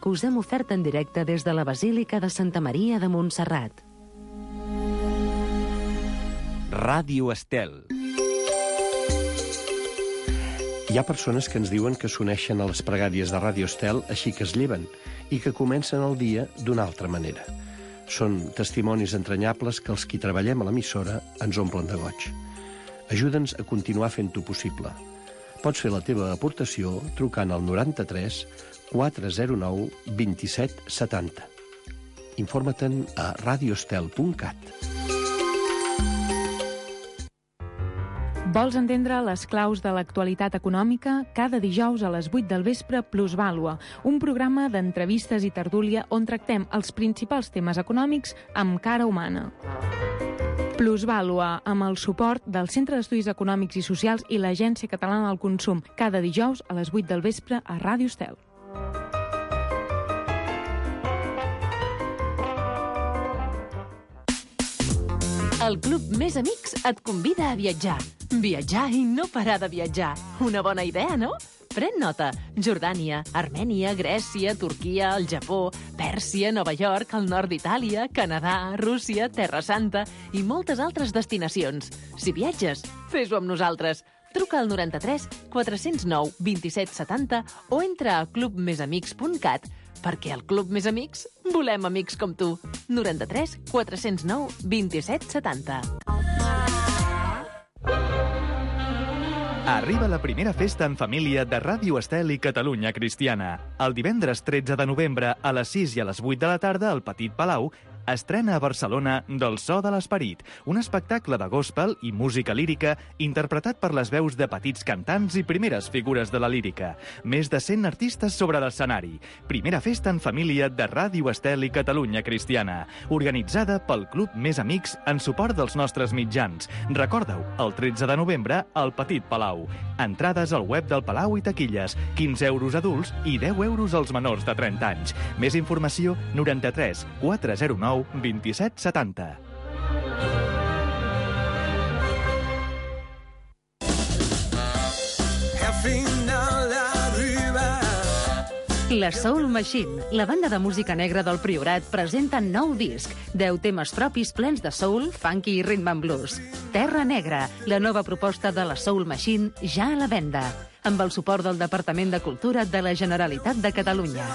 que us hem ofert en directe des de la Basílica de Santa Maria de Montserrat. Ràdio Estel. Hi ha persones que ens diuen que s'uneixen a les pregàries de Ràdio Estel així que es lleven i que comencen el dia d'una altra manera. Són testimonis entranyables que els qui treballem a l'emissora ens omplen de goig. Ajuda'ns a continuar fent-ho possible. Pots fer la teva aportació trucant al 93 409 27 70. Informa-te'n a radioestel.cat. Vols entendre les claus de l'actualitat econòmica? Cada dijous a les 8 del vespre, Plusvàlua, un programa d'entrevistes i tertúlia on tractem els principals temes econòmics amb cara humana. Plusvàlua, amb el suport del Centre d'Estudis Econòmics i Socials i l'Agència Catalana del Consum, cada dijous a les 8 del vespre a Ràdio Estel. El Club Més Amics et convida a viatjar. Viatjar i no parar de viatjar. Una bona idea, no? Pren nota. Jordània, Armènia, Grècia, Turquia, el Japó, Pèrsia, Nova York, el nord d'Itàlia, Canadà, Rússia, Terra Santa i moltes altres destinacions. Si viatges, fes-ho amb nosaltres. Truca al 93 409 27 70 o entra a clubmesamics.cat perquè al Club Més Amics volem amics com tu. 93 409 27 70. Arriba la primera festa en família de Ràdio Estel i Catalunya Cristiana. El divendres 13 de novembre a les 6 i a les 8 de la tarda al Petit Palau estrena a Barcelona Del so de l'esperit, un espectacle de gospel i música lírica interpretat per les veus de petits cantants i primeres figures de la lírica. Més de 100 artistes sobre l'escenari. Primera festa en família de Ràdio Estel i Catalunya Cristiana, organitzada pel Club Més Amics en suport dels nostres mitjans. Recorda-ho, el 13 de novembre al Petit Palau. Entrades al web del Palau i taquilles, 15 euros adults i 10 euros als menors de 30 anys. Més informació, 93 409 27 70. La Soul Machine, la banda de música negra del Priorat, presenta nou disc, 10 temes propis plens de soul, funky i rhythm and blues. Terra Negra, la nova proposta de la Soul Machine, ja a la venda, amb el suport del Departament de Cultura de la Generalitat de Catalunya.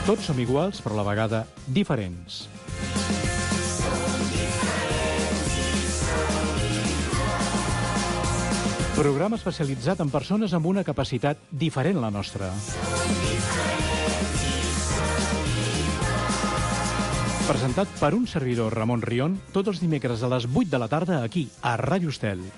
Tots som iguals, però a la vegada diferents. Programa especialitzat en persones amb una capacitat diferent a la nostra. Presentat per un servidor, Ramon Rion, tots els dimecres a les 8 de la tarda aquí, a Ràdio Estel.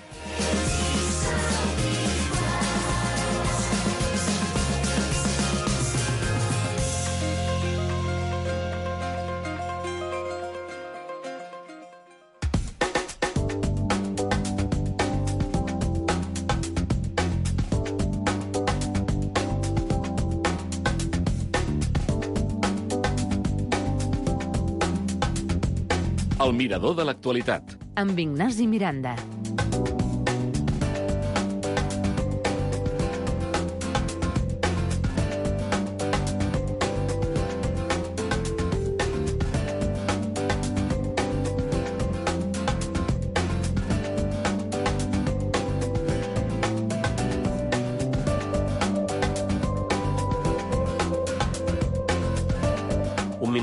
El mirador de l'actualitat. Amb Ignasi Miranda.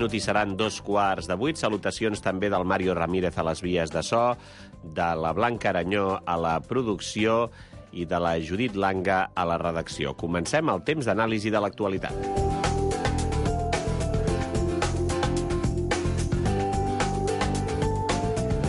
I seran 2:15. Salutacions també del Mario Ramírez a les vies de so, de la Blanca Aranyó a la producció i de la Judit Langa a la redacció. Comencem el temps d'anàlisi de l'actualitat.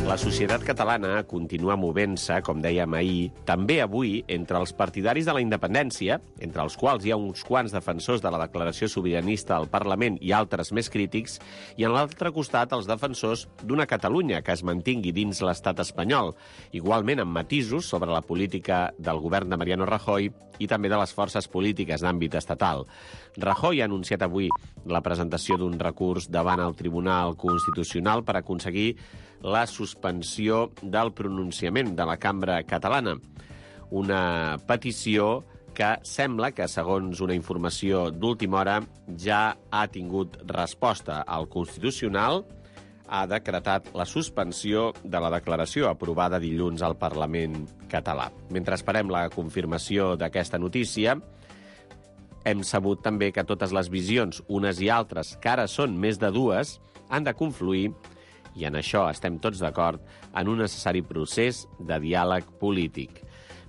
La societat catalana continua movent-se, com dèiem ahir, també avui entre els partidaris de la independència, entre els quals hi ha uns quants defensors de la declaració sobiranista al Parlament i altres més crítics, i en l'altre costat els defensors d'una Catalunya que es mantingui dins l'estat espanyol, igualment amb matisos sobre la política del govern de Mariano Rajoy i també de les forces polítiques d'àmbit estatal. Rajoy ha anunciat avui la presentació d'un recurs davant el Tribunal Constitucional per aconseguir la suspensió del pronunciament de la cambra catalana. Una petició que sembla que, segons una informació d'última hora, ja ha tingut resposta. El Constitucional ha decretat la suspensió de la declaració aprovada dilluns al Parlament català. Mentre esperem la confirmació d'aquesta notícia, hem sabut també que totes les visions, unes i altres, que ara són més de dues, han de confluir, i en això estem tots d'acord, en un necessari procés de diàleg polític.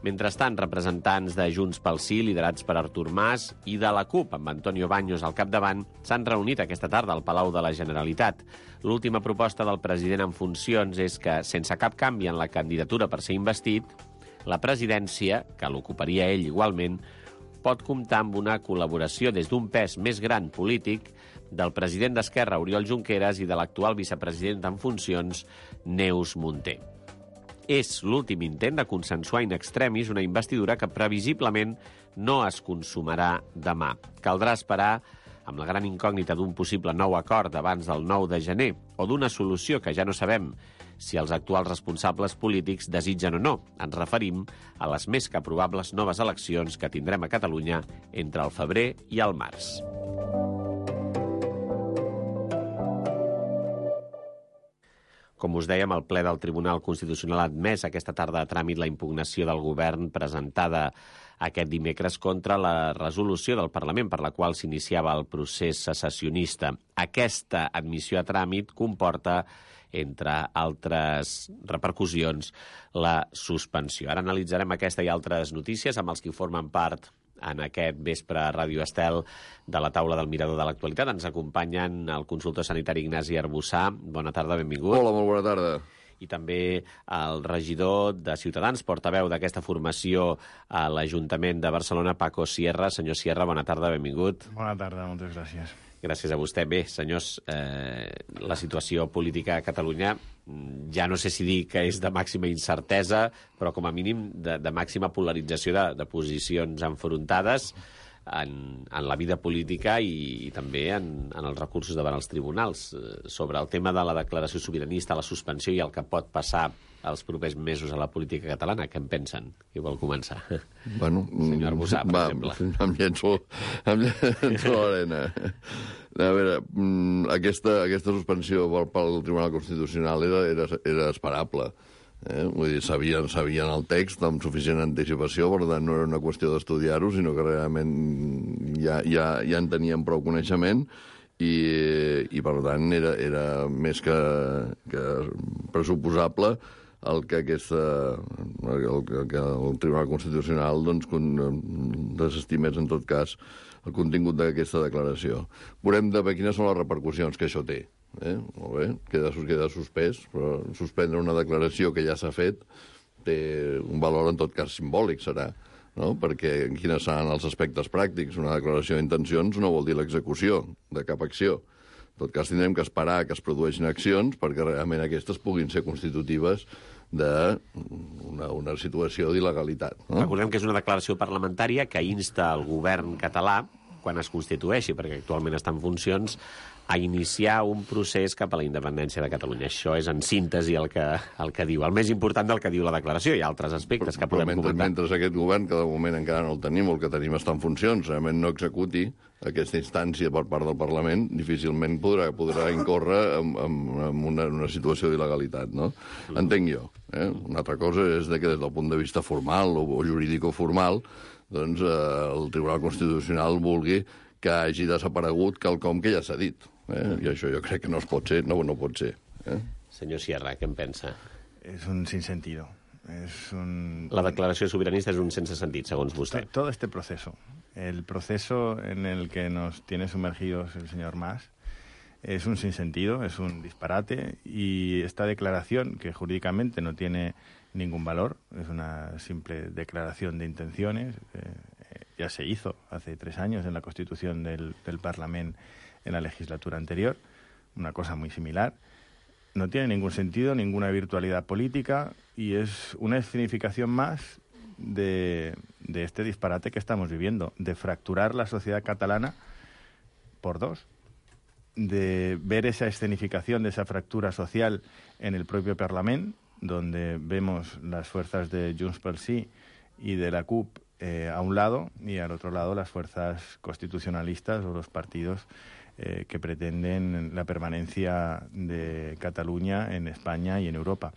Mentrestant, representants de Junts pel Sí, liderats per Artur Mas, i de la CUP, amb Antonio Baños al capdavant, s'han reunit aquesta tarda al Palau de la Generalitat. L'última proposta del president en funcions és que, sense cap canvi en la candidatura per ser investit, la presidència, que l'ocuparia ell igualment, pot comptar amb una col·laboració des d'un pes més gran polític del president d'Esquerra, Oriol Junqueras, i de l'actual vicepresident en funcions, Neus Munté. És l'últim intent de consensuar in extremis una investidura que previsiblement no es consumarà demà. Caldrà esperar amb la gran incògnita d'un possible nou acord abans del 9 de gener o d'una solució que ja no sabem si els actuals responsables polítics desitgen o no. Ens referim a les més que probables noves eleccions que tindrem a Catalunya entre el febrer i el març. Com us dèiem, el ple del Tribunal Constitucional ha admès aquesta tarda a tràmit la impugnació del govern presentada aquest dimecres contra la resolució del Parlament per la qual s'iniciava el procés secessionista. Aquesta admissió a tràmit comporta, entre altres repercussions, la suspensió. Ara analitzarem aquesta i altres notícies amb els que formen part en aquest vespre a Ràdio Estel de la taula del Mirador de l'Actualitat. Ens acompanyen el consultor sanitari Ignasi Arbussà. Bona tarda, benvingut. Hola, molt bona tarda. I també el regidor de Ciutadans, portaveu d'aquesta formació a l'Ajuntament de Barcelona, Paco Sierra. Senyor Sierra, bona tarda, benvingut. Bona tarda, moltes gràcies. Gràcies a vostè. Bé, senyors, la situació política a Catalunya ja no sé si dir que és de màxima incertesa, però com a mínim de màxima polarització de posicions enfrontades en la vida política i també en els recursos davant els tribunals. Sobre el tema de la declaració sobiranista, la suspensió i el que pot passar els propers mesos a la política catalana, què en pensen? Qui vol començar? Bueno, senyor Arbussà, per exemple. Em llenço a l'arena. A veure, aquesta suspensió pel Tribunal Constitucional era esperable. Vull dir, sabien el text amb suficient anticipació, per tant no era una qüestió d'estudiar-ho, sinó que realment ja en tenien prou coneixement i per tant era més que pressuposable el que el Tribunal Constitucional desestimés en tot cas el contingut d'aquesta declaració. Veurem de quines són les repercussions que això té. Molt bé, queda suspès, però suspendre una declaració que ja s'ha fet té un valor en tot cas simbòlic, serà, no? Perquè quins seran els aspectes pràctics? Una declaració d'intencions no vol dir l'execució de cap acció. En tot cas, tindrem que esperar que es produeixin accions perquè realment aquestes puguin ser constitutives d'una situació d'il·legalitat. No? Recordem que és una declaració parlamentària que insta el govern català, quan es constitueixi, perquè actualment està en funcions, a iniciar un procés cap a la independència de Catalunya. Això és, en síntesi, el que diu. El més important del que diu la declaració. Hi ha altres aspectes que podem comentar. Mentre aquest govern, que de moment encara no el tenim, el que tenim està en funcions, realment no executi aquesta instància per part del Parlament, difícilment podrà incórrer en una situació d'il·legalitat, no? Entenc jo. Una altra cosa és que des del punt de vista formal o jurídico-formal doncs el Tribunal Constitucional vulgui que hagi desaparegut quelcom que ja s'ha dit. I això jo crec que no pot ser. Senyor Sierra, què en pensa? És un sinsentido. La declaració sobiranista és un sense sentit, segons vostè. Todo este proceso, el proceso en el que nos tiene sumergidos el señor Mas, Es un sinsentido, es un disparate, y esta declaración, que jurídicamente no tiene ningún valor, es una simple declaración de intenciones, ya se hizo hace 3 años en la Constitución del Parlamento en la legislatura anterior, una cosa muy similar. No tiene ningún sentido, ninguna virtualidad política, y es una escenificación más de este disparate que estamos viviendo, de fracturar la sociedad catalana por dos, de ver esa escenificación de esa fractura social en el propio Parlament, donde vemos las fuerzas de Junts pel Sí y de la CUP a un lado, y al otro lado las fuerzas constitucionalistas o los partidos que pretenden la permanencia de Cataluña en España y en Europa.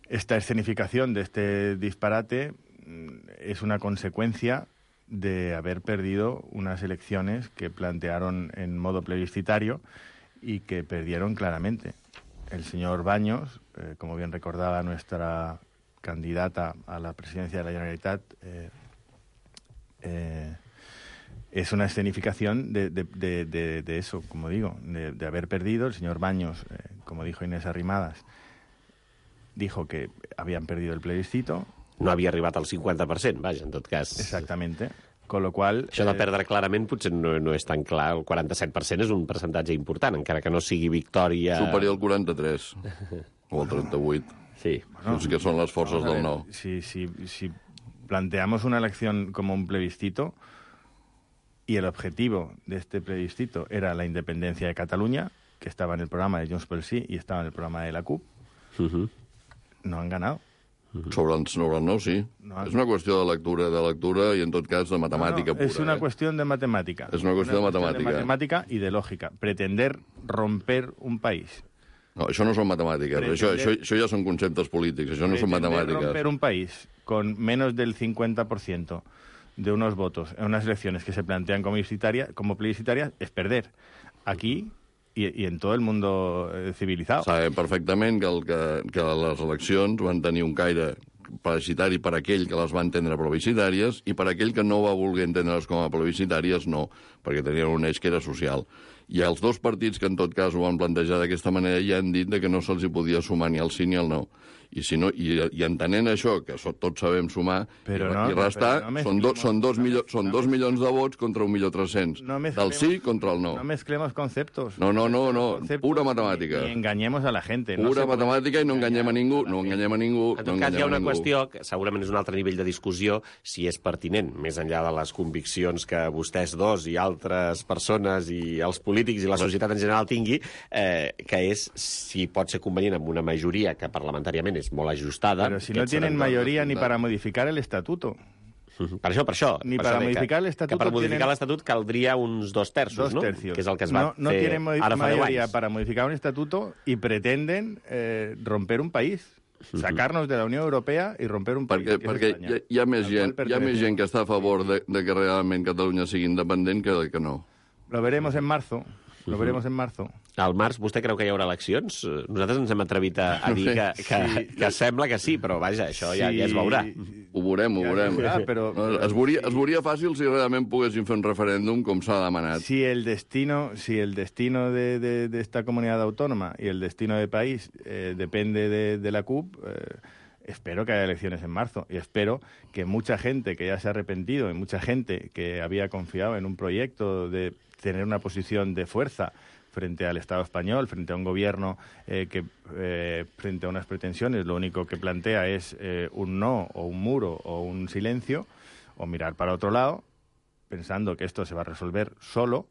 Esta escenificación de este disparate es una consecuencia de haber perdido unas elecciones que plantearon en modo plebiscitario y que perdieron claramente. El señor Baños, como bien recordaba nuestra candidata a la presidencia de la Generalitat, es una escenificación de eso, como digo, de haber perdido. El señor Baños, como dijo Inés Arrimadas, dijo que habían perdido el plebiscito. No havia arribat al 50%, vaja, en tot cas. Exactamente. Con lo qual... Això de perdre clarament potser no és tan clar. El 47% és un percentatge important, encara que no sigui victòria... Superior al 43, o al 38. Sí. Bueno, que son las fuerzas del no. Si planteamos una elección como un plebiscito y el objetivo de este plebiscito era la independencia de Cataluña, que estaba en el programa de Junts pel Sí y estaba en el programa de la CUP, no han ganado. Sobre el no, sí. No. És una qüestió de lectura i, en tot cas, de matemàtica pura. Es una cuestión de matemática. Es una cuestión de matemática. De matemática y de lógica. Pretender romper un país. No, això no són matemàtiques. Això ja són conceptes polítics. Això no són matemàtiques. Romper un país con menos del 50% de unos votos en unas elecciones que se plantean como plebiscitarias es perder. Aquí y en todo el mundo civilizado. Sabem perfectament que les eleccions van tenir un caire plebiscitari per aquell que les va entendre plebiscitàries i per aquell que no va voler entendre-les com a plebiscitàries, no, perquè tenien un eix que era social. I els dos partits que en tot cas ho van plantejar d'aquesta manera ja han dit que no se'ls hi podia sumar ni el sí ni el no. I entenent això, que tots sabem sumar i restar, són 2 milions de vots contra 1.300.000. Del sí contra el no. No mezclemos conceptos. No, pura matemàtica. Ni engañemos a la gente. Pura matemàtica i no enganyem a ningú. En tot cas, hi ha una qüestió que segurament és un altre nivell de discussió, si és pertinent, més enllà de les conviccions que vostès dos i altres persones i els polítics i la societat en general tingui, que és si pot ser convenient amb una majoria que parlamentàriament és molt ajustada. Pero si no tienen mayoría ni para modificar el estatuto. Per això. Ni para modificar el estatuto. Que per modificar l'estatut caldria uns 2 terços, no? Que és el que es va fer no tienen ara fa 10 mayoría anys. para modificar un estatuto y pretenden romper un país. Sacarnos de la Unión Europea y romper un país. Perquè hi ha més gent que està a favor de que realment Catalunya sigui independent que no. Lo veremos en marzo. Al març, vostè creu que hi haurà eleccions? Nosaltres ens hem atrevit a dir que sembla que sí, però vaja, això ja es veurà. Ho veurem. Però es veuria fàcil si realment poguessin fer un referèndum com s'ha demanat. Si el destino de esta comunidad autónoma y el destino del país depende de la CUP, espero que haya elecciones en marzo y espero que mucha gente que ya se ha arrepentido y mucha gente que había confiado en un proyecto de tener una posición de fuerza frente al Estado español, frente a un gobierno que frente a unas pretensiones lo único que plantea es un no o un muro o un silencio o mirar para otro lado, pensando que esto se va a resolver solo,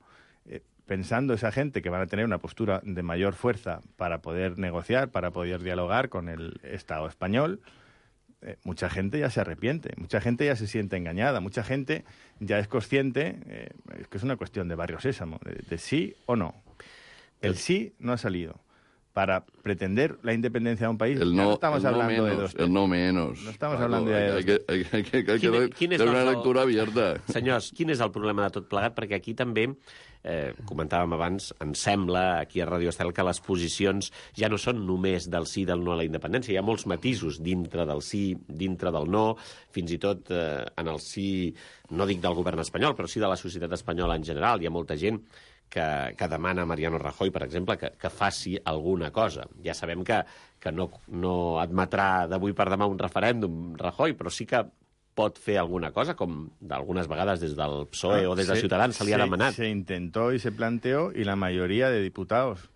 pensando esa gente que van a tener una postura de mayor fuerza para poder negociar, para poder dialogar con el Estado español. Mucha gente ya se arrepiente, mucha gente ya se siente engañada, mucha gente ya es consciente, es que es una cuestión de barrio sésamo, de sí o no. El sí no ha salido. Para pretender la independencia de un país, no estamos hablando de dos. El no menos. No estamos hablando de dos. Hay que dar una lectura abierta. Senyors, quin és el problema de tot plegat? Perquè aquí també, comentàvem abans, em sembla, aquí a Radio Estel, que les posicions ja no són només del sí i del no a la independència. Hi ha molts matisos dintre del sí, dintre del no, fins i tot en el sí, no dic del govern espanyol, però sí de la societat espanyola en general. Hi ha molta gent que demana Mariano Rajoy, per exemple, que faci alguna cosa. Ja sabem que no admetrà d'avui per demà un referèndum, Rajoy, però sí que pot fer alguna cosa, com d'algunes vegades des del PSOE o des de Ciutadans se li ha demanat. Se intentó y se planteó, y la mayoría de diputados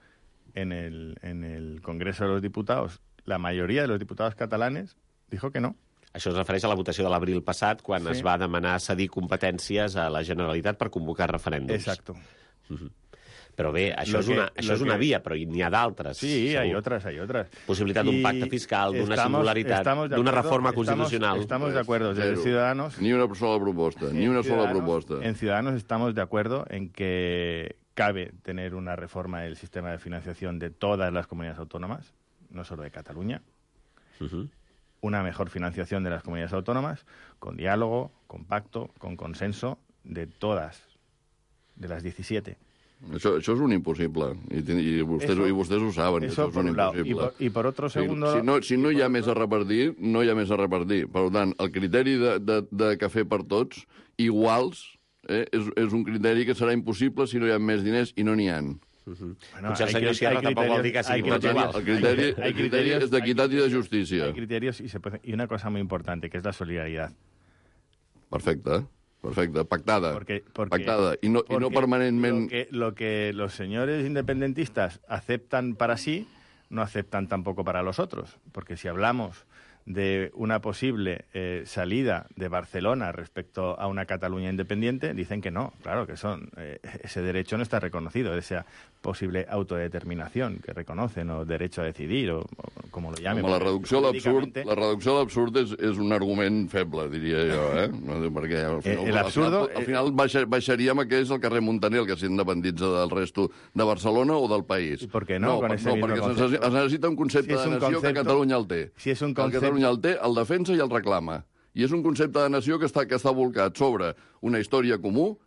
en el Congreso de los Diputados, la mayoría de los diputados catalanes dijo que no. Això es refereix a la votació de l'abril passat, quan es va demanar cedir competències a la Generalitat per convocar referèndums. Exacto. Però bé, això és una via, però n'hi ha d'altres. Sí, hay otras. Possibilitat d'un pacte fiscal, d'una singularitat, d'una reforma constitucional. Estamos de acuerdo. Desde Ciudadanos... Ni una sola proposta, En Ciudadanos estamos de acuerdo en que cabe tener una reforma del sistema de financiación de todas las comunidades autónomas, no solo de Cataluña. Una mejor financiación de las comunidades autónomas, con diálogo, con pacto, con consenso de todas, de las 17. Això és un impossible, i vostès ho saben, això és un impossible. I per otro segundo... Si no hi ha més a repartir, no hi ha més a repartir. Per tant, el criteri de cafè per tots, iguals, és un criteri que serà impossible si no hi ha més diners, i no n'hi ha. Potser el senyor Sierra tampoc vol dir que sigui tots iguals. El criteri és d'equitat i de justícia. Hay criterios y una cosa muy importante, que es la solidaridad. Perfecte, pactada. Pactada, y no porque permanentment... Lo que los señores independentistas aceptan para sí, no aceptan tampoco para los otros. Porque si hablamos de una posible salida de Barcelona respecto a una Cataluña independiente, dicen que no, claro, que ese derecho no está reconocido, esa posible autodeterminación que reconocen, o derecho a decidir, o como lo llamen. La reducció a l'absurd és un argument feble, diria jo, perquè al final baixaríem a què és el carrer Montaner, el que s'independitza del resto de Barcelona o del país. ¿Por qué no? Perquè es necessita un concepte de nació que Catalunya el té. Si és un concepte... Catalunya el té, el defensa i el reclama. I és un concepte de nació que està volcat sobre una història comú,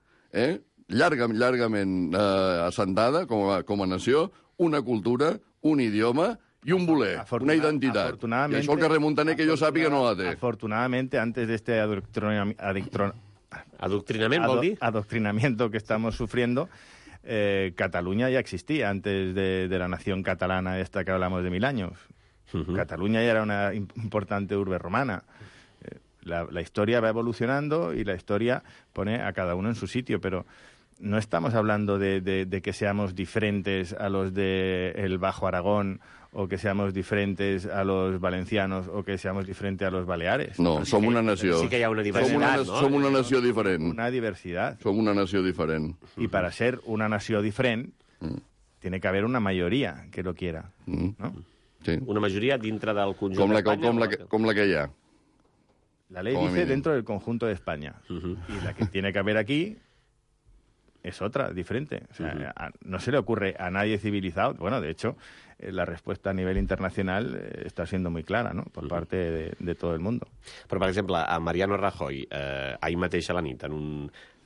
llargament assentada com a nació, una cultura, un idioma i un voler, una identitat. I això el carrer Montaner, que jo sàpiga, no la té. Afortunadamente, antes de este adoctrinamiento que estamos sufriendo, Cataluña ya existía antes de la nación catalana esta que hablamos de 1000 años. Cataluña ya era una importante urbe romana. La historia va evolucionando y la historia pone a cada uno en su sitio, pero no estamos hablando de que seamos diferentes a los del Bajo Aragón, o que seamos diferentes a los valencianos, o que seamos diferentes a los baleares. No, som una nació. Sí que hi ha una diversitat, ¿no? Som una nació diferent. Una diversidad. Som una nació diferent. Y para ser una nació diferent, tiene que haber una mayoría que lo quiera, ¿no? Sí. Una majoria dintre del conjunt d'Espanya. Com la que hi ha. La ley dice dentro del conjunto de España. Y la que tiene que haber aquí es otra, diferente. O sea, no se le ocurre a nadie civilizado. Bueno, de hecho, la respuesta a nivel internacional está siendo muy clara, ¿no?, por parte de todo el mundo. Però, per exemple, a Mariano Rajoy, ahir mateix a la nit,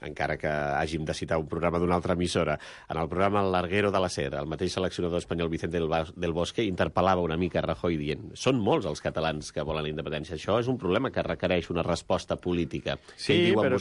encara que hàgim de citar un programa d'una altra emissora, en el programa El Larguero de la Ser, el mateix seleccionador espanyol Vicente del Bosque interpel·lava una mica Rajoy dient: són molts els catalans que volen la independència. Això és un problema que requereix una resposta política. Sí, pero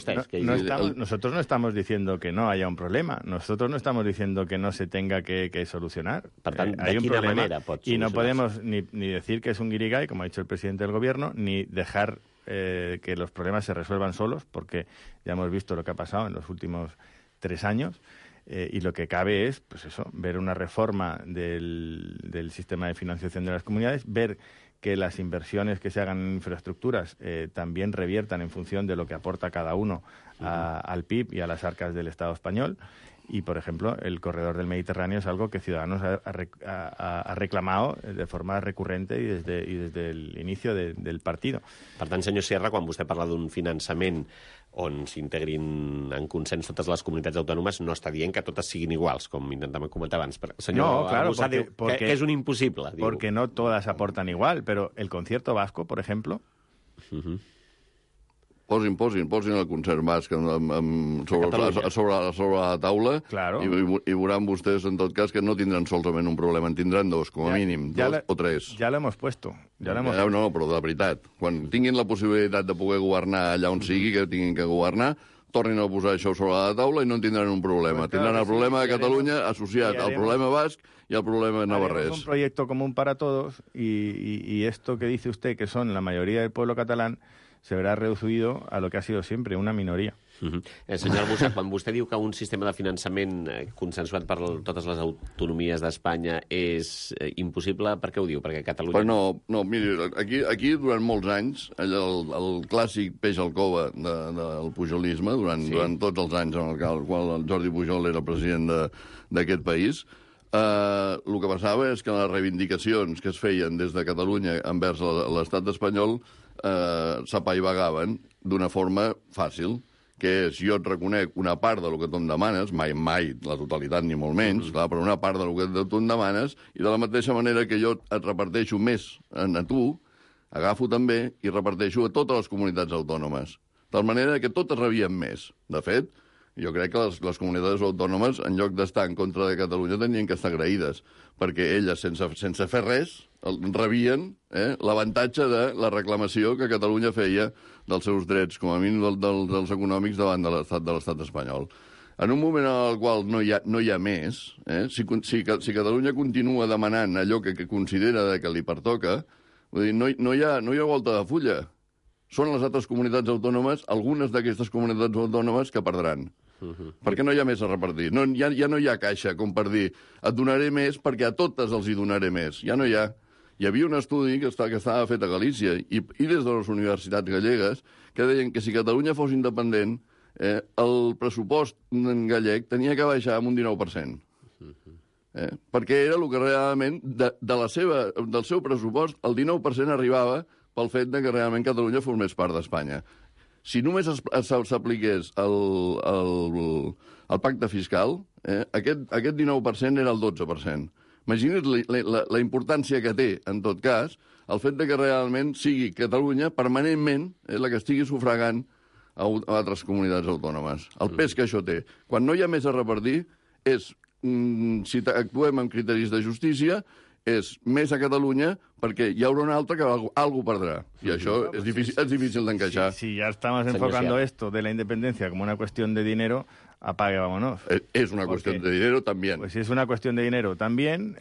nosotros no estamos diciendo que no haya un problema. Nosotros no estamos diciendo que no se tenga que solucionar. Per tant, hay de un quina problema manera pot y no solucionar-se? podemos ni decir que es un guirigay, como ha dicho el presidente del gobierno, ni dejar que los problemas se resuelvan solos, porque ya hemos visto lo que ha pasado en los últimos 3 años, y lo que cabe es, pues eso, ver una reforma del sistema de financiación de las comunidades, ver que las inversiones que se hagan en infraestructuras también reviertan en función de lo que aporta cada uno al PIB y a las arcas del Estado español. Y, por ejemplo, el corredor del Mediterráneo es algo que Ciudadanos ha reclamado de forma recurrente y desde el inicio del partido. Per tant, senyor Sierra, quan vostè parla d'un finançament on s'integrin en consens totes les comunitats autònomes, no està dient que totes siguin iguals, com intentàvem comentar abans. El senyor Arrufat diu que és un impossible. Porque no todas aportan igual, pero el concierto vasco, por ejemplo... Posin el concert basc sobre la taula, claro, i veuran vostès, en tot cas, que no tindran solament un problema, en tindran 2, com a mínim, 2 o 3. Ja l'hem puesto. No, però de veritat, quan tinguin la possibilitat de poder governar allà on sigui que tinguin que governar, tornin a posar això sobre la taula i no en tindran un problema. Tindran el problema de Catalunya associat al problema basc y al problema navarrés. Es un proyecto común para todos y esto que dice usted, que son la mayoría del pueblo catalán, se verà reducido a lo que ha sido siempre, una minoria. Senyor Albuixach, quan vostè diu que un sistema de finançament consensuat per totes les autonomies d'Espanya és impossible, per què ho diu? Perquè Catalunya... No, miri, aquí durant molts anys, el clàssic peix al cova del pujolisme, durant tots els anys en el qual el Jordi Pujol era president d'aquest país, el que passava és que les reivindicacions que es feien des de Catalunya envers l'estat espanyol s'apaivagaven d'una forma fàcil, que és, jo et reconec una part del que tu em demanes, mai la totalitat ni molt menys, clar, però una part del que tu em demanes, i de la mateixa manera que jo et reparteixo més a tu, agafo també i reparteixo a totes les comunitats autònomes. De tal manera que totes rebien més. De fet, jo crec que les comunitats autònomes, en lloc d'estar en contra de Catalunya, tenien que estar agraïdes, perquè elles, sense fer res, rebien l'avantatge de la reclamació que Catalunya feia dels seus drets, com a mínim dels econòmics, davant de l'estat espanyol. En un moment en el qual no hi ha més, si Catalunya continua demanant allò que considera que li pertoca, vull dir, no hi ha volta de fulla. Són les altres comunitats autònomes, algunes d'aquestes comunitats autònomes, que perdran. Perquè no hi ha més a repartir. Ja no hi ha caixa com per dir et donaré més perquè a totes els hi donaré més. Ja no hi ha. Hi havia un estudi que estava fet a Galícia i des de les universitats gallegues que deien que si Catalunya fos independent el pressupost gallec tenia que baixar amb un 19%. Perquè era el que realment del seu pressupost el 19% arribava pel fet que realment Catalunya formés part d'Espanya. Si només s'apliqués el pacte fiscal, aquest 19% era el 12%. Imagina't la importància que té, en tot cas, el fet que realment sigui Catalunya permanentment la que estigui sufragant a altres comunitats autònomes. El pes que això té. Quan no hi ha més a repartir, si actuem amb criteris de justícia, és més a Catalunya perquè hi haurà una altra que algú perdrà. I això és difícil d'encaixar. Si ya estamos enfocando esto de la independencia como una cuestión de dinero, apague, vámonos. Es una cuestión de dinero también. Pues si es una cuestión de dinero también.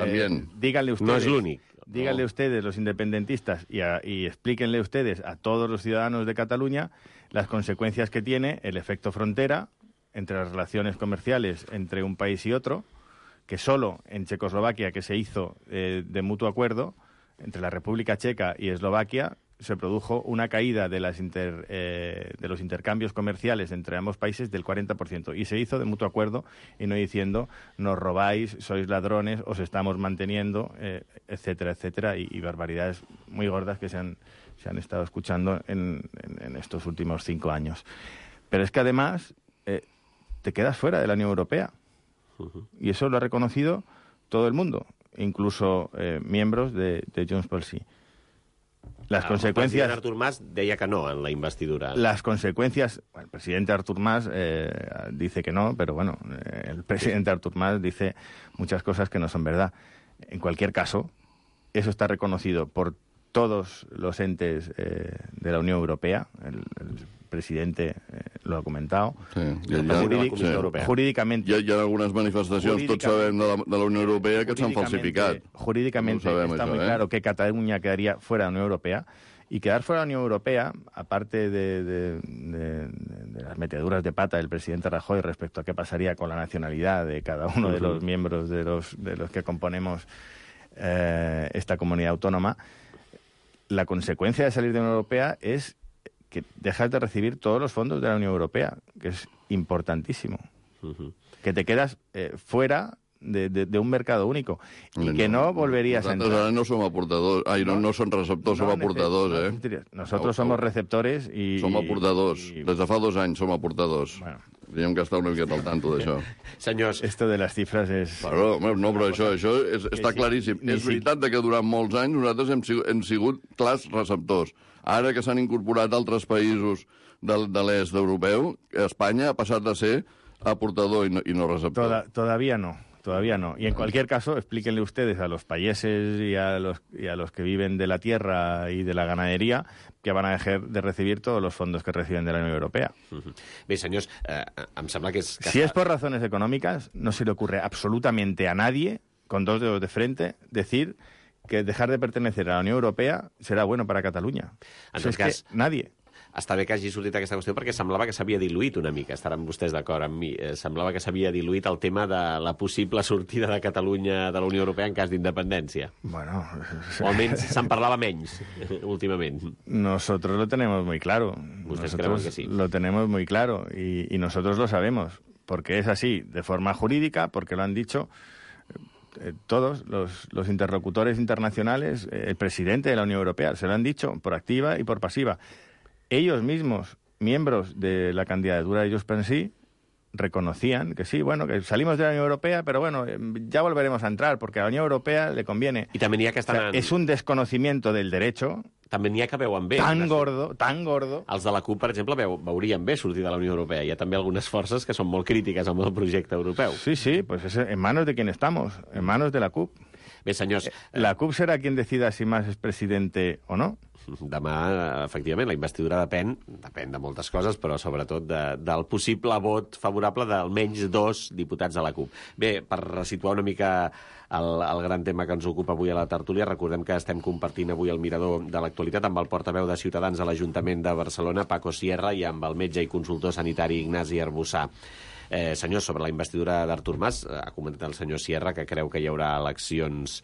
Díganle ustedes. No es l'únic. Díganle ustedes, los independentistas, y explíquenle ustedes a todos los ciudadanos de Cataluña las consecuencias que tiene el efecto frontera entre las relaciones comerciales entre un país y otro, que solo en Checoslovaquia, que se hizo de mutuo acuerdo entre la República Checa y Eslovaquia, se produjo una caída de los intercambios comerciales entre ambos países del 40%. Y se hizo de mutuo acuerdo y no diciendo nos robáis, sois ladrones, os estamos manteniendo, etcétera, etcétera, y barbaridades muy gordas que se han estado escuchando en estos últimos 5 años. Pero es que además te quedas fuera de la Unión Europea. Y eso lo ha reconocido todo el mundo, incluso miembros de Junts pel Sí. Las consecuencias... El president Artur Mas deia que no en la investidura. Las consecuencias... Bueno, el presidente Artur Mas dice que no, pero bueno, el presidente Artur Mas dice muchas cosas que no son verdad. En cualquier caso, eso está reconocido por todos los entes de la Unión Europea. El presidente lo ha comentado. Jurídicamente... Hi ha algunes manifestacions, tots sabem, de la Unió Europea que s'han falsificat. Jurídicamente está muy claro que Cataluña quedaría fuera de la Unión Europea. Y quedar fuera de la Unión Europea, aparte de las meteduras de pata del presidente Rajoy respecto a qué pasaría con la nacionalidad de cada uno de los miembros de los que componemos esta comunidad autónoma, la consecuencia de salir de la Unión Europea es que dejas de recibir todos los fondos de la Unión Europea, que es importantísimo. Que te quedas fuera de un mercado único y que no volverías a entrar. Nosaltres ara no som aportadors, no són receptors, som aportadors, Nosotros somos receptores y... Som aportadors. Des de fa 2 anys som aportadors. Bueno. Teníem que estar una miqueta al tanto d'això. Senyors... Esto de las cifras és... No, però això està claríssim. És veritat que durant molts anys nosaltres hem sigut clars receptors. Ara que s'han incorporat altres països de l'est europeu, Espanya ha passat a ser aportador i no receptor. Todavía no. Todavía no. Y en cualquier caso, explíquenle ustedes a los payeses y a los que viven de la tierra y de la ganadería que van a dejar de recibir todos los fondos que reciben de la Unión Europea. Bé, senyors, em sembla que és... Si es por razones económicas, no se le ocurre absolutamente a nadie, con dos dedos de frente, decir que dejar de pertenecer a la Unión Europea será bueno para Catalunya. En tot cas, nadie. Està bé que hagi sortit aquesta qüestió perquè semblava que s'havia diluït una mica, estaran vostès d'acord amb mi, semblava que s'havia diluït el tema de la possible sortida de Catalunya de la Unió Europea en cas d'independència. Bueno... O almenys se'n parlava menys, últimament. Nosotros lo tenemos muy claro. Ustedes creen que sí. Lo tenemos muy claro y nosotros lo sabemos, porque es así, de forma jurídica, porque lo han dicho todos los interlocutores internacionales, el presidente de la Unión Europea, se lo han dicho por activa y por pasiva. Ellos mismos, miembros de la candidatura de Junts per Sí, reconocían que sí, bueno, que salimos de la Unión Europea, pero bueno, ya volveremos a entrar, porque a la Unión Europea le conviene. I també n'hi ha que estan... O sea, es un desconocimiento del derecho... També n'hi ha que veuen bé. Tan gordo. Els de la CUP, per exemple, veurien bé sortir de la Unió Europea. Hi ha també algunes forces que són molt crítiques amb el projecte europeu. Sí, pues es en manos de quien estamos, en manos de la CUP. Bé, senyors... La CUP será quien decida si Mas es presidente o no. Demà, efectivament, la investidura depèn de moltes coses, però sobretot del possible vot favorable d'almenys 2 diputats de la CUP. Bé, per resituar una mica el gran tema que ens ocupa avui a la tertúlia, recordem que estem compartint avui el mirador de l'actualitat amb el portaveu de Ciutadans a l'Ajuntament de Barcelona, Paco Sierra, i amb el metge i consultor sanitari Ignasi Arbussà. Senyors, sobre la investidura d'Artur Mas, ha comentat el senyor Sierra que creu que hi haurà eleccions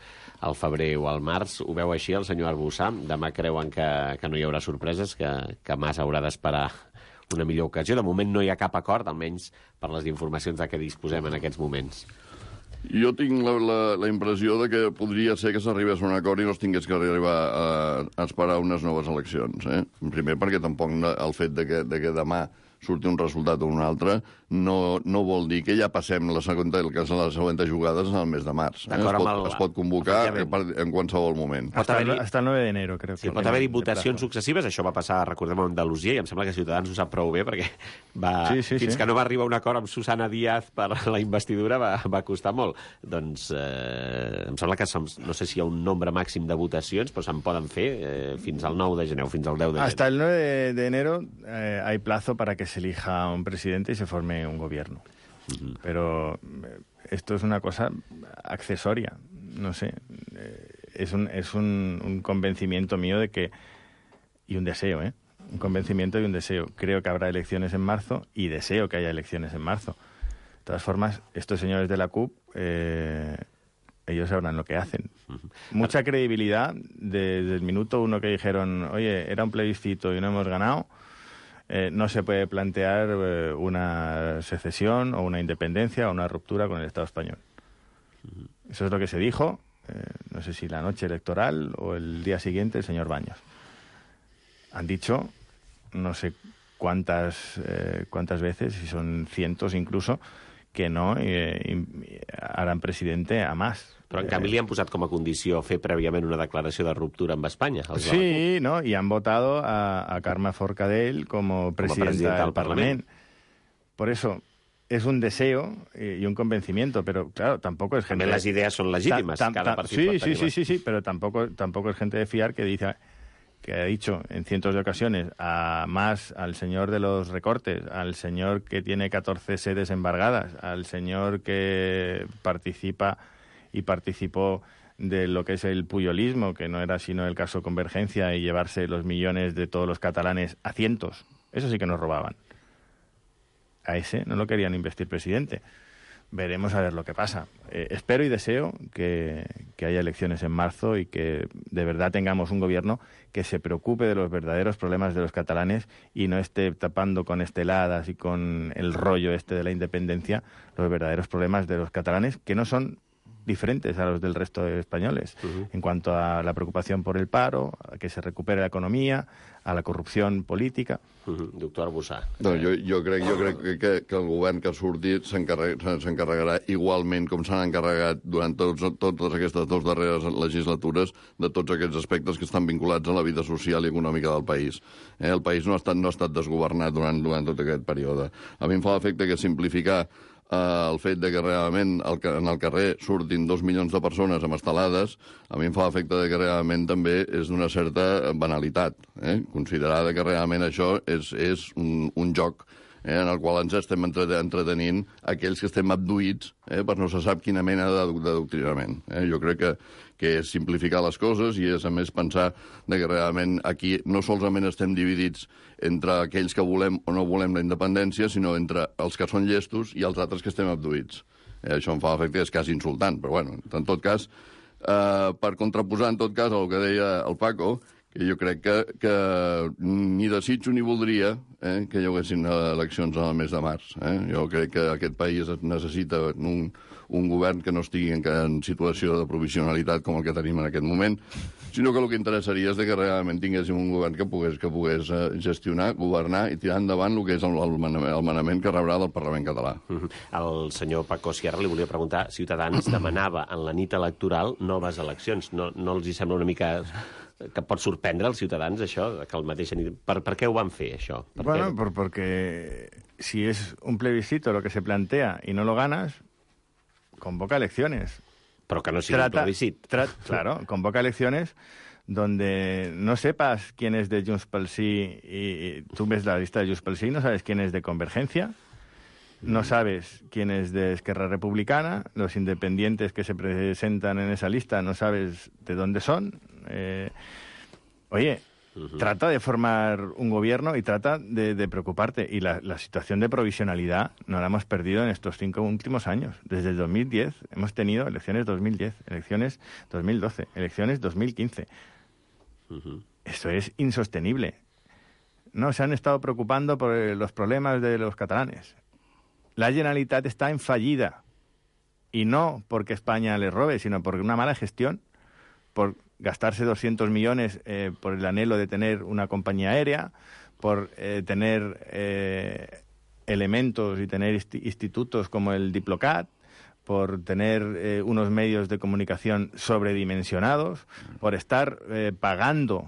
al febrer o al març. Ho veu així el senyor Arbussà? Demà creuen que no hi haurà sorpreses, que Mas haurà d'esperar una millor ocasió. De moment no hi ha cap acord, almenys per les informacions de què disposem en aquests moments. Jo tinc la impressió de que podria ser que s'arribés a un acord i no es tingués que arribar a esperar unes noves eleccions. Primer perquè tampoc el fet de que demà surti un resultat o un altre, no vol dir que ja passem la següent jugada al mes de març. Es pot convocar en qualsevol moment. Hasta el 9 de enero, crec. Sí, pot haver-hi votacions successives. Això va passar, recordem, a Andalusia, i em sembla que Ciutadans ho sap prou bé, perquè fins que no va arribar un acord amb Susana Díaz per la investidura va costar molt. Doncs em sembla que no sé si hi ha un nombre màxim de votacions, però se'n poden fer fins al 9 de gener o fins al 10 de gener. Hasta el 9 de enero hay plazo para que se elija un presidente y se forme un gobierno. Pero esto es una cosa accesoria, no sé. Es un convencimiento mío de que... Y un deseo, un convencimiento y un deseo. Creo que habrá elecciones en marzo y deseo que haya elecciones en marzo. De todas formas, estos señores de la CUP, ellos sabrán lo que hacen. Mucha credibilidad desde el minuto 1 que dijeron, oye, era un plebiscito y no hemos ganado. No se puede plantear una secesión o una independencia o una ruptura con el Estado español. Eso es lo que se dijo, no sé si la noche electoral o el día siguiente, el señor Baños. Han dicho, no sé cuántas veces, si son cientos incluso, que no harán presidente a Mas. Però en canvi li han posat com a condició fer prèviament una declaració de ruptura amb Espanya. Sí, ¿no? Y han votado a Carme Forcadell como presidenta del Parlamento. Por eso, es un deseo y un convencimiento, pero claro, tampoco es gente... También las ideas son legítimas, cada partido. Sí, pero tampoco es gente de fiar que dice... que ha dicho en cientos de ocasiones a Mas, al señor de los recortes, al señor que tiene 14 sedes embargadas, al señor que participa y participó de lo que es el puyolismo, que no era sino el caso Convergencia, y llevarse los millones de todos los catalanes a cientos. Eso sí que nos robaban. A ese no lo querían investir presidente. Veremos a ver lo que pasa. Espero y deseo que haya elecciones en marzo y que de verdad tengamos un gobierno que se preocupe de los verdaderos problemas de los catalanes y no esté tapando con esteladas y con el rollo de la independencia los verdaderos problemas de los catalanes, que no son diferentes a los del resto de españoles, en cuanto a la preocupación por el paro, a que se recupere la economía, a la corrupció política. Doctor Arbussà. No, jo crec que el govern que surti s'encarregarà igualment com s'han encarregat durant totes aquestes 2 darreres legislatures de tots aquests aspectes que estan vinculats a la vida social i econòmica del país. El país no ha estat desgovernat durant tot aquest període. A mi em fa l'efecte que simplificar el fet de que realment en el carrer surtin 2 milions de persones amb estelades, a mi em fa l'efecte de que realment també és d'una certa banalitat, considerada que realment això és un joc en el qual ens estem entretenint aquells que estem abduïts per no se sap quina mena d'adoctrinament. Jo crec que és simplificar les coses i és, a més, pensar que realment aquí no solament estem dividits entre aquells que volem o no volem la independència, sinó entre els que són llestos i els altres que estem abduïts. Això em fa l'efecte que és quasi insultant, però bueno, en tot cas, per contraposar en tot cas el que deia el Paco, que jo crec que ni desitjo ni voldria que hi haguessin eleccions al mes de març. Jo crec que aquest país necessita un govern que no estigui en situació de provisionalitat com el que tenim en aquest moment, sinó que el que interessaria és que realment tinguéssim un govern que pogués gestionar, governar i tirar endavant el que és el manament que rebrà del Parlament català. El senyor Paco Sierra li volia preguntar, Ciutadans demanava en la nit electoral noves eleccions. No els hi sembla una mica que pot sorprendre als ciutadans això, que el mateix nit... Per què ho van fer, això? Bueno, porque si es un plebiscito lo que se plantea y no lo ganas, convoca elecciones. Pero que no sigui un plebiscit. Claro, convoca elecciones donde no sepas quién es de Junts pel Sí y tú ves la lista de Junts pel Sí, no sabes quién es de Convergencia, no sabes quién es de Esquerra Republicana, los independientes que se presentan en esa lista no sabes de dónde son. Trata de formar un gobierno y trata de preocuparte. Y la situación de provisionalidad no la hemos perdido en estos 5 últimos años. Desde el 2010 hemos tenido elecciones 2010, elecciones 2012, elecciones 2015. Esto es insostenible. No se han estado preocupando por los problemas de los catalanes. La Generalitat está en fallida. Y no porque España les robe, sino por una mala gestión, por gastarse 200 millones por el anhelo de tener una compañía aérea, por tener elementos y tener institutos como el Diplocat, por tener unos medios de comunicación sobredimensionados, por estar pagando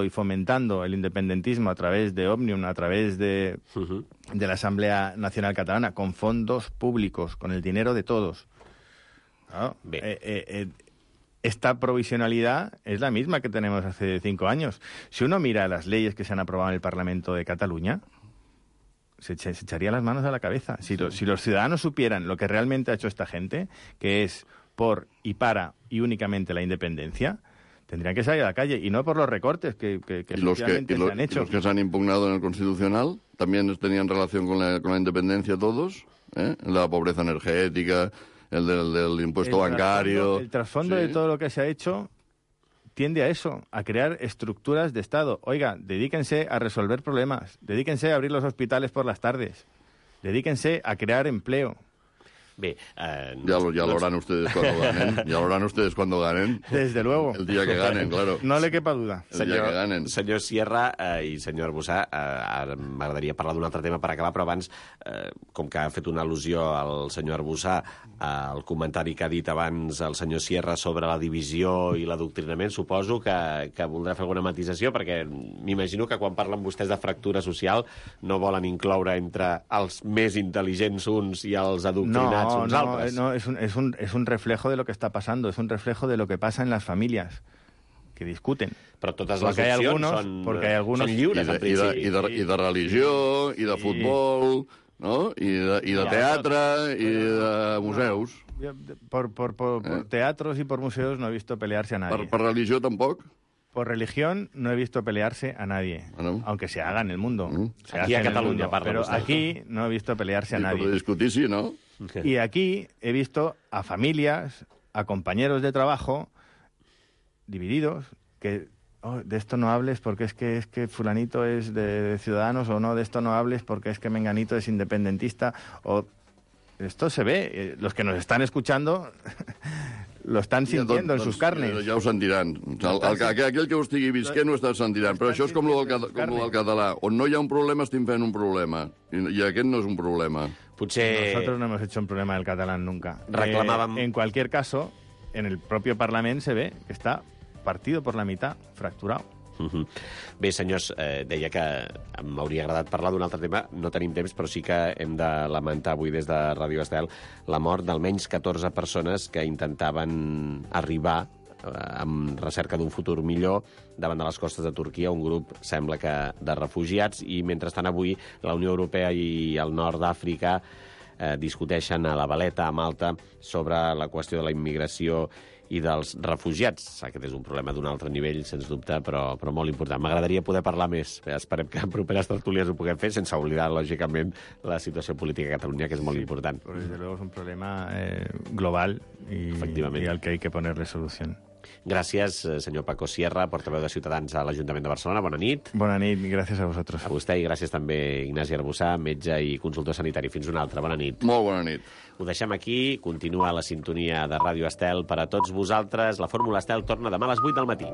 y fomentando el independentismo a través de Òmnium, a través de la Asamblea Nacional Catalana, con fondos públicos, con el dinero de todos. ¿No? Esta provisionalidad es la misma que tenemos hace 5 años. Si uno mira las leyes que se han aprobado en el Parlamento de Cataluña, se echaría las manos a la cabeza. Si los ciudadanos supieran lo que realmente ha hecho esta gente, que es por y para y únicamente la independencia, tendrían que salir a la calle, y no por los recortes que efectivamente se han hecho. ¿Y los que se han impugnado en el Constitucional también tenían relación con la independencia todos? La pobreza energética, el del impuesto bancario... El trasfondo de todo lo que se ha hecho tiende a eso, a crear estructuras de Estado. Oiga, dedíquense a resolver problemas, dedíquense a abrir los hospitales por las tardes, dedíquense a crear empleo. Bé, ya lo harán ustedes cuando ganen. Ya lo harán ustedes cuando ganen. Desde luego. El día que ganen, claro. No le quepa duda. El dia que ganen. Senyor Sierra i senyor Arbussà, ara m'agradaria parlar d'un altre tema per acabar, però abans, com que ha fet una al·lusió al senyor Arbussà al comentari que ha dit abans el senyor Sierra sobre la divisió i l'adoctrinament, suposo que voldrà fer alguna matisació, perquè m'imagino que quan parlen vostès de fractura social no volen incloure entre els més intel·ligents uns i els adoctrinats uns altres. No, es un reflejo de lo que está pasando, es un reflejo de lo que pasa en las familias que discuten. Però totes les opcions són lliures, en principi. I de religió, i de futbol, no? I de teatre, i de museus. Por teatros y por museos no he visto pelearse a nadie. ¿Por religión tampoco? Por religión no he visto pelearse a nadie, aunque se haga en el mundo. Aquí a Cataluña, pero aquí no he visto pelearse a nadie. Por discutir, sí, ¿no? Y aquí he visto a familias, a compañeros de trabajo divididos, que de esto no hables porque es que fulanito es de Ciudadanos, o no, de esto no hables porque es que menganito es independentista, o esto se ve, los que nos están escuchando lo están sintiendo en sus carnes. Ja ho sentiran. Aquell que ho estigui visquent ho està sentint. Però això és com el del català. On no hi ha un problema, estem fent un problema. I aquest no és un problema. Nosotros no hemos hecho un problema del catalán nunca. En cualquier caso, en el propio Parlamento se ve que está partido por la mitad, fracturado. Bé, senyors, deia que m'hauria agradat parlar d'un altre tema. No tenim temps, però sí que hem de lamentar avui des de Ràdio Estel la mort d'almenys 14 persones que intentaven arribar amb recerca d'un futur millor davant de les costes de Turquia, un grup, sembla que, de refugiats, i mentrestant avui la Unió Europea i el nord d'Àfrica discuteixen a la Valeta, a Malta, sobre la qüestió de la immigració i dels refugiats. Aquest és un problema d'un altre nivell, sens dubte, però molt important. M'agradaria poder parlar més. Esperem que en properes tertúlies ho puguem fer, sense oblidar, lògicament, la situació política a Catalunya, que és molt important. Desde luego es un problema global y al que hay que ponerle solución. Gràcies, senyor Paco Sierra, portaveu de Ciutadans a l'Ajuntament de Barcelona. Bona nit. Bona nit, gràcies a vosaltres. A vostè, i gràcies també Ignasi Arbussà, metge i consultor sanitari. Fins una altra. Bona nit. Molt bona nit. Ho deixem aquí. Continua la sintonia de Ràdio Estel per a tots vosaltres. La Fórmula Estel torna demà a les 8 del matí.